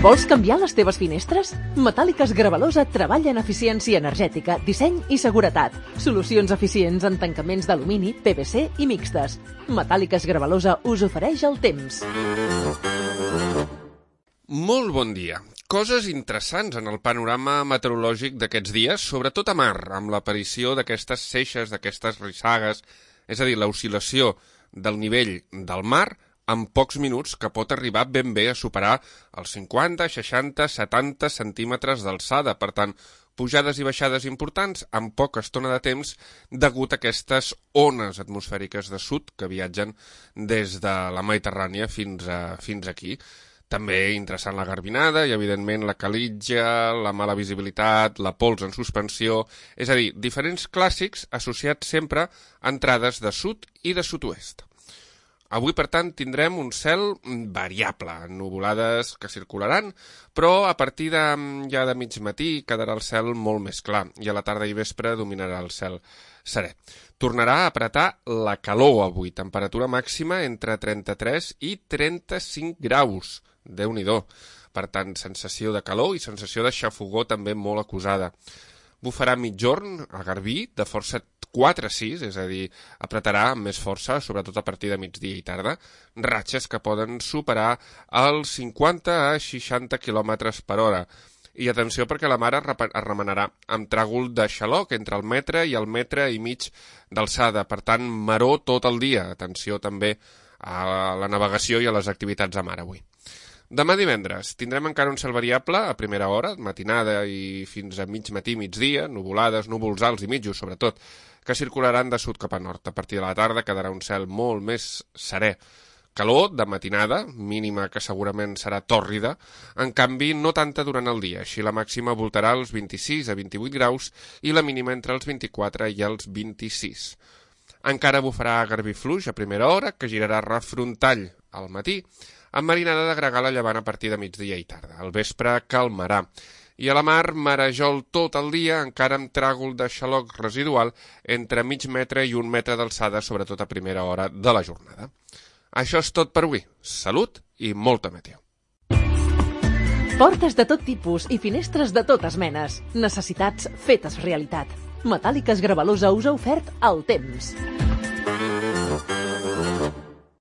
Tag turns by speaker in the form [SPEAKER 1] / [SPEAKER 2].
[SPEAKER 1] Vols canviar les teves finestres? Metàl·liques Gravalosa treballa en eficiència energètica, disseny i seguretat. Solucions eficients en tancaments d'alumini, PVC i mixtes. Metàl·liques Gravalosa us ofereix el temps.
[SPEAKER 2] Molt bon dia. Coses interessants en el panorama meteorològic d'aquests dies, sobretot a mar, amb l'aparició d'aquestes seixes, d'aquestes rissagues, és a dir, l'oscil·lació del nivell del mar en pocs minuts, que pot arribar ben bé a superar els 50, 60, 70 centímetres d'alçada. Per tant, pujades i baixades importants en poca estona de temps degut a aquestes ones atmosfèriques de sud que viatgen des de la Mediterrània fins aquí. També interessant la garbinada i, evidentment, la calitja, la mala visibilitat, la pols en suspensió, és a dir, diferents clàssics associats sempre a entrades de sud i de sud-oest. Avui, per tant, tindrem un cel variable, nuvolades que circularan, però a partir ja de mig matí quedarà el cel molt més clar i a la tarda i vespre dominarà el cel serè. Tornarà a apretar la calor avui, temperatura màxima entre 33 i 35 graus. Déu-n'hi-do. Per tant, sensació de calor i sensació de xafogor també molt acusada. Bufarà mitjorn a Garbí de força 4-6, és a dir, apretarà amb més força, sobretot a partir de migdia i tarda, ratxes que poden superar els 50 a 60 km per hora. I atenció perquè la mar es remenarà amb tràgol de xaloc entre el metre i el metre i mig d'alçada. Per tant, maror tot el dia. Atenció també a la navegació i a les activitats a mar avui. Demà divendres tindrem encara un cel variable a primera hora, matinada i fins a mig matí, migdia, nuvolades, núvols alts i mitjos sobretot, que circularan de sud cap a nord. A partir de la tarda quedarà un cel molt més serè. Calor de matinada, mínima que segurament serà tòrrida, en canvi no tanta durant el dia, així la màxima voltarà als 26 a 28 graus i la mínima entre els 24 i els 26. Encara bufarà Garbí fluix a primera hora, que girarà refrontall al matí, amb marinada de gregal a llevant a partir de migdia i tarda. Al vespre calmarà. I a la mar, marejol tot el dia, encara amb tràgol de xaloc residual entre mig metre i un metre d'alçada, sobretot a primera hora de la jornada. Això és tot per avui. Salut i molta meteo.
[SPEAKER 1] Portes de tot tipus i finestres de totes menes. Necessitats fetes realitat. Metàl·liques Gravalosa us ha ofert el temps.